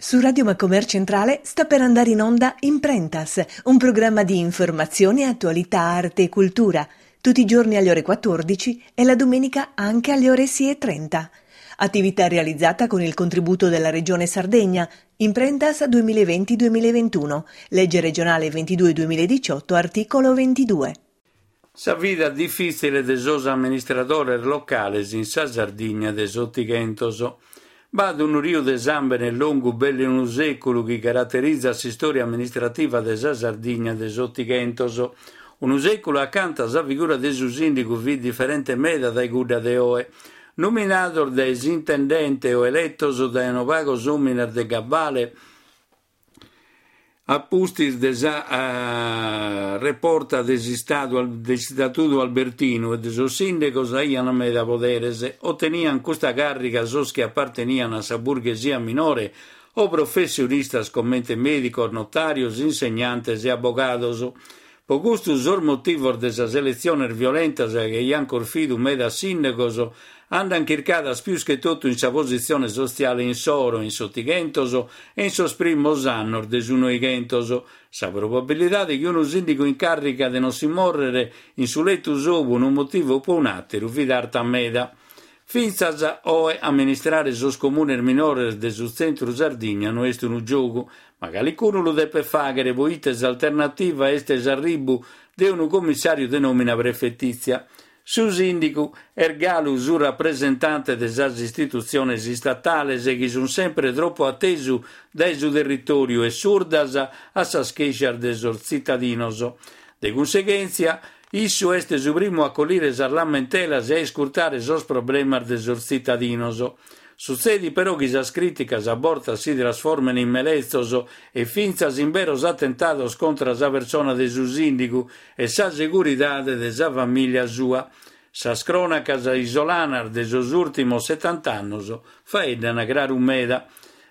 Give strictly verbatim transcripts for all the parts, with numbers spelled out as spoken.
Su Radio Macomer Centrale sta per andare in onda Imprentas, un programma di informazione, attualità, arte e cultura, tutti i giorni alle ore quattordici e la domenica anche alle ore sei e trenta. Attività realizzata con il contributo della Regione Sardegna, Imprentas duemilaventi duemilaventuno, legge regionale ventidue duemiladiciotto, articolo ventidue. Sa vida difìtzile de sos amministradores locales in sa Sardigna de s'Otighentos. B'at unu riu de sàmbene longu belle unu sèculu chi caraterizat s'istòria amministrativa de sa Sardigna de s'Otighentos. Unu sèculu acanta sa figura de su sìndigu fit diferente meda dae cudda de oe. Nominados dae s'intendente o eletos dae unos pagos òmines de gabale, a pustis de sa uh, reporta de s'Istadu de s'Istatudu Albertinu e de sos sìndicos aiant meda poderes, oteniant custa càrriga sos chi aparteniant a sa burghesia minore o professionistas comente mèdicos, notàrios, insegnantes e abogados. Po custu sos motivos de sas eletziones violentas chi aiant corfidu medas sìndicos andant chircadas pius che totu in sa positzione sotziale insoro, in s'Otighentos e in sos primos annos de su Noighentos. Sa probabilidade chi unu sìndigu in càrriga de non si mòrrere in su letu sou pro unu motivu o pro un'àteru fit arta meda. Fintzas oe amministrare sos comunes minores de su tzentru Sardigna no est unu giogu, ma calicunu lu depet fàghere poite s'alternativa est s'arribu de unu commissàriu de nòmina prefetìtzia. Su sìndigu est galu su rapresentante de sas istitutziones istatales chi sunt sempre tropu atesu dae su territòriu e surdas a sas chèscias de sos tzitadinos. De cunseghèntzia, issu est su primu a collire sas lamentelas e a iscurtare sos problemas de sos tzitadinos. Sutzedit però chi sas crìticas a bortas si trasformen in meletzos e fintzas in beros atentados contra sa persona de su sìndigu e sa seguridade de sa famìlia sua. Sas crònacas isolanas de sos ùrtimos setanta annos faeddan craru meda.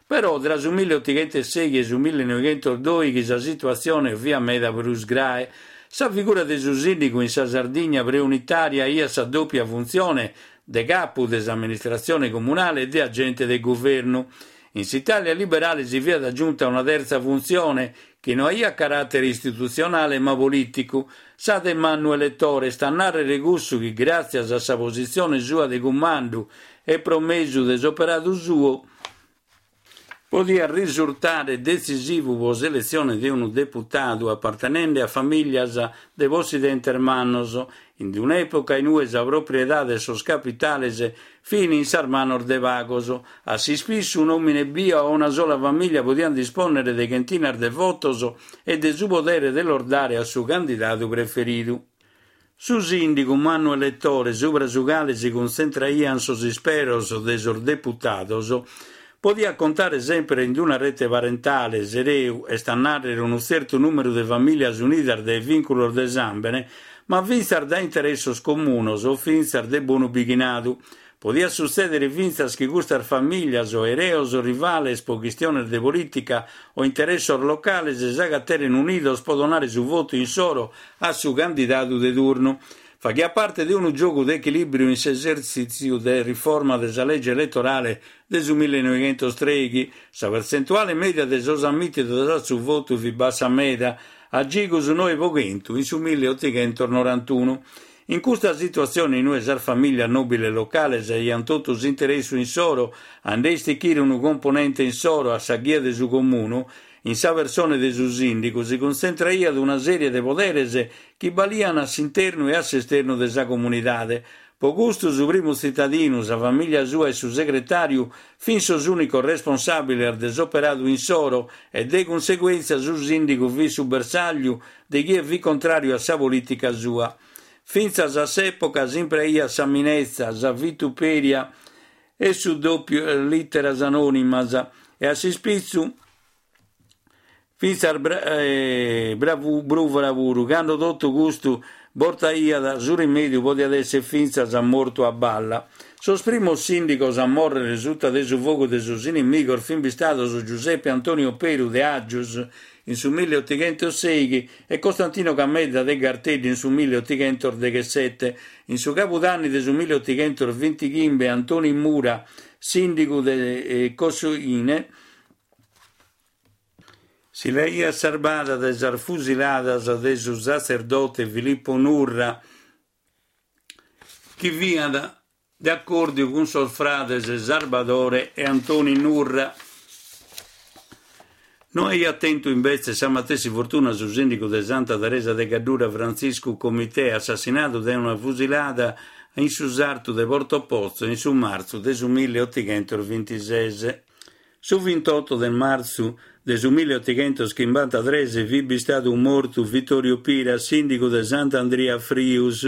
Però tra su milleotighentos e su millenoighentosdòighi sa situatzione fiat meda prus grae. Sa figura de su sìndigu in sa Sardigna preunitària aiat sa dòpia funtzione de capu de s'amministratzione comunale e de agente de guvernu. In s'Itàlia liberale si fiat aggiunta una terza funtzione chi no aiat caràtere istitutzionale ma polìticu, sa de mannu elettore, est a nàrrere cussu chi gràtzias a sa positzione sua de cumandu e pro mesu de s'operadu suo podiat risurtare detzisivu pro s'eletzione de unu deputadu apartenende a famìlias de possidentes mannos, in un'època in ue sa propriedade e sos capitales fin in sas manos de pagos. A s'ispissu un'òmine bia o una sola famìlia podiant dispònnere de chentinas de votos e de su podere de los dare a su candidadu preferidu. Su sìndigu mannu elettore, subra su cale si cuntzentraiant sos isperos de sos deputados, podiat contare sempre in una rete parentale, s'ereu, est a nàrrere unu tzertu nùmeru de famìlias unidas dae vìnculos de sàmbene, ma fintzas dae interessos comunos o fintzas de bonu bighinadu. Podiat sutzèdere fintzas chi custas famìlias o ereos rivales pro chistiones de polìtica o interessos locales s'agateren unidos pro donare su votu insoro a su candidadu de turnu. Faghiat parte de unu giogu de echilìbriu in s'esertzìtziu de riforma de sa lege eletorale de su millenoighentostreighi. Sa pertzentuale mèdia de sos ammìtidos a su votu fit bassa meda, a gigu su noe pro chentu in su milleotighentos norantunu. In custa situatzione in ue sas famìlias nòbiles locales aiant totu s'interessu insoro a nde istichire unu componente insoro a sa ghia de su comunu, in sa persone de su sìndigu si cuntzentraiat una sèrie de poderes chi baliant a s'internu e a s'esternu de sa comunidade. Po custu su primu tzitadinu, sa famìlia sua e su segretàriu fin sos ùnicos responsàbiles de s'operadu insoro e de cunseguèntzia su sìndigu fit su bersàgliu de chie fit contràriu a sa polìtica sua. Fintzas a s'època s'impreaiat sa minetza, sa vituperia e su dòpiu lìteras anònimas e a s'ispitzu fintzas eh, bravu, brùvora puru, cando totu custu bortaiat su rimèdiu podiat èssere fintzas mortu a balla. Sos primos sìndigos a mòrrere suta de su fogu de sos inimigos fin bistados Giuseppe Antonio Peru de Aggius in su milleotighentos sèighi e Costantino Camedda de Garteddi in su milleotighentos deghessete. In su cabudanni de su milleotighentos bintighimbe Antoni Mura, sìndigu de eh, Cossoine, Si l'aiat sarbada dae sas fusiladas de su satzerdote Filippo Nurra, chi fiat de acòrdiu cun sos frades Sarbadore e Antoni Nurra. No aiat tentu imbetzes sa matessi fortuna su sìndigu de Santa Teresa de Gaddura Frantziscu Comitè, assassinadu dae una fusilada in su sartu de Porto Pozzo in su martzu de su milleotighentos bintises. Su vintotto de martzu de su milleotighentos chimbantatrès fit bistadu mortu Vittorio Pira, sìndigu de Sant'Andria Frius.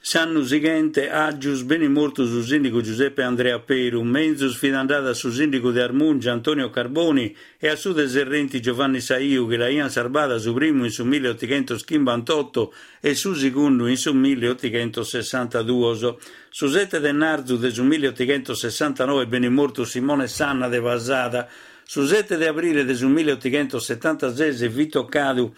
S'annu sighente, Aggius, benit mortu su sìndigu Giuseppe Andrea Peru, menzus fit andada a su sìndigu de Armungia Antonio Carboni e a su de Serrenti Giovanni Saiu, chi l'aiant sarbada su primu in su milleotighentos chimbantotto e su segundu in su milleotighentos sessantaduos. Su sette de martzu de su milleotighentos sessantanoe benit mortu Simone Sanna de Pasada. Su sette de abrile de su milleotighentos setantases fit tocadu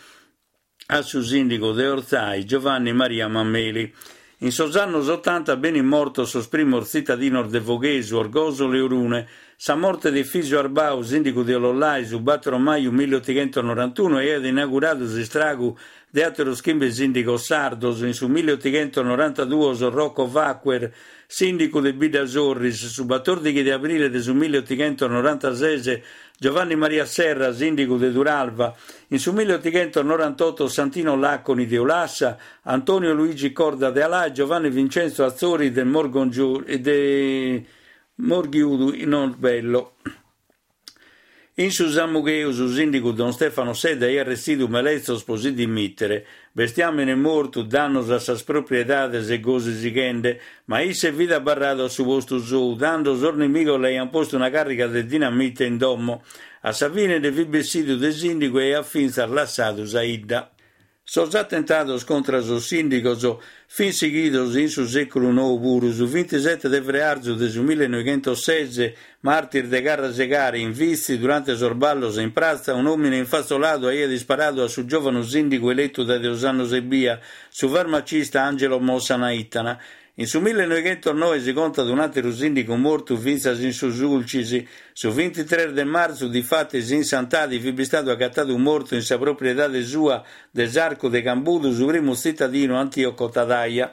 a su sìndigu de Ortzai Giovanni Maria Mameli. In sos annos Otanta benint mortos sos primos tzitadinos de Foghesu, Orgosolo e Orune. Sa morte de Efisio Arbau, sìndigu de Ollolai, su battoro maju milleotighentos norantuno, aiat inauguradu s'istragu de àteros chimbe sìndigos sardos. In su milleotighentos norantaduos Rocco Vaccher, sìndigu de Bidda Sorris, su batòrdighi de abrile de su milleotighentos norantases Giovanni Maria Serra, sìndigu de Turalva, in su milleotighentos norantotto Santino Laconi de Ulassa, Antonio Luigi Corda de Alà e Giovanni Vincenzo Atzori de, de Morghiudu in Norbello. In su Samugheu su sìndigu Don Stefano Sedda aiat retzidu meletzos pro si dimitere, bestiàmene mortu, dannos a sas propriedades e gosi sighende, ma isse fit abarradu a su postu sou, tando sos nimigos l'aiant postu una càrriga de dinamite in domo. A sa fine nde fit bessidu de sìndigu e aiat fintzas lassadu sa 'idda. Sos atentados contra sos sìndigos fin sighidos in su sèculu nou puru. Su vintisette de frearzu de su millenoighentosses, martis de Carrasegare, in Vitzi, durante sos ballos in pratza, un'òmine infatzoladu aiat isparadu a su giòvanu sìndigu eletu dae duos annos ebbia, su farmacista Angelo Mossa Naitana. In su millenoighentosnoe si contat un'àteru sìndigu mortu fintzas in su Sulcis. Su vintitrès de martzu, difatis, in Santadi fit bistadu agatadu mortu in sa propriedade sua de s'Arcu de Cambudu su primu tzitadinu Antioco Tadaia.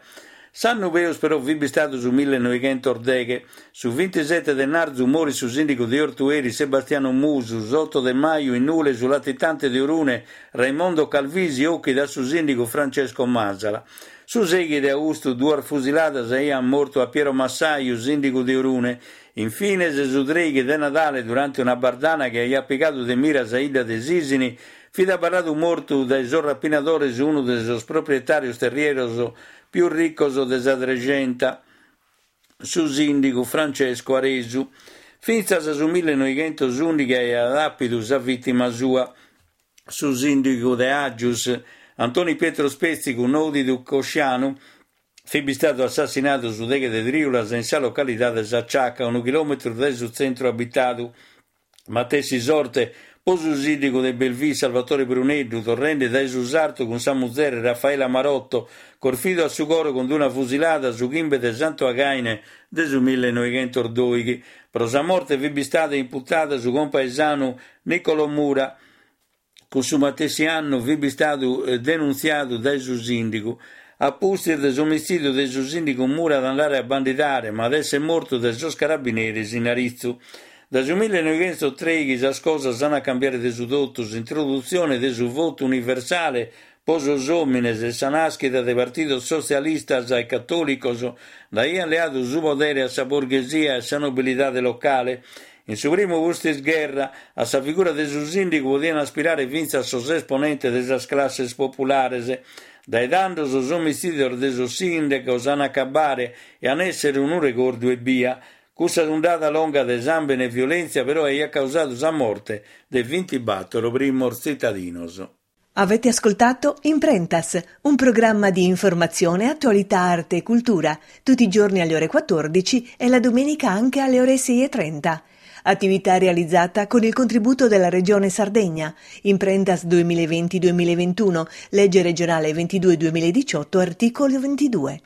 S'annu peus però fit bistadu su millenoighentosdeghe. Su vintisette de martzu morit su sìndigu de Ortueri Sebastiano Musu, s'otto de maju in Nule su latitante de Orune Raimondo Calvisi ochit a su sìndigu Francesco Masala. Su seighi de austu duas fusiladas aiant mortu a Piero Massaiu, sìndigu de Orune. Infines, su treighi de Nadale, durante una bardana chi aiat pigadu de mira sa 'idda de Sisini, fit abarradu mortu dae sos rapinadores unu de sos proprietàrios terrieros pius riccos de sa Trexenta, su sìndigu Francesco Aresu. Fintzas su millenoighentosùndighi aiat àpidu sa vìtima sua, su sìndigu de Aggius, Antoni Pietro Spezzigu, nòdidu Coscianu, fit bistadu assassinadu su deghe de trìulas in sa localidade Sa Ciaca, unu chilòmetru dae su tzentru abitadu. Matessi sorte pro su sìndigu de Belvì Salvatore Pruneddu, torrende dae su sartu cun sa muzere Raffaella Marotto, corfidu a su coro cun una fusilada su chimbe de Santu Againe de su millenoighentosdòighi. Pro sa morte fit bistada imputada su compaesanu Niccolò Mura. Cussu matessi annu fit bistadu eh, denuntziadu dae su sìndigu. A pustis de s'omitzìdiu de su sìndigu Mura at andare a bandidare, ma at essere mortu dae sos carabineris in Aritzu. Dae su millenoighentostrèighi sas cosas ant a cambiare de su totu. S'introdutzione de su votu universale pro sos òmines e sa nàschida de partidos sotzialistas e catòlicos nd'aiant leadu su podere a sa borghesia e a sa nobilidade locale. In su primu pustis-gherra, a sa figura de su sìndigu podiant aspirare fintzas sos esponentes de sas classes populares. Dae tando sos omitzìdios de sos sìndigos ant a acabare e ant èssere unu regordu ebbia. Cussa undada longa de sàmbene e violèntzia però aiat causadu sa morte de vintibatoro primos tzitadinos. Avete ascoltato Imprentas, un programma di informazione, attualità, arte e cultura, tutti i giorni alle ore quattordici e la domenica anche alle ore sei e trenta. Attività realizzata con il contributo della Regione Sardegna. Imprentas duemilaventi-duemilaventuno, legge regionale ventidue duemiladiciotto, articolo ventidue.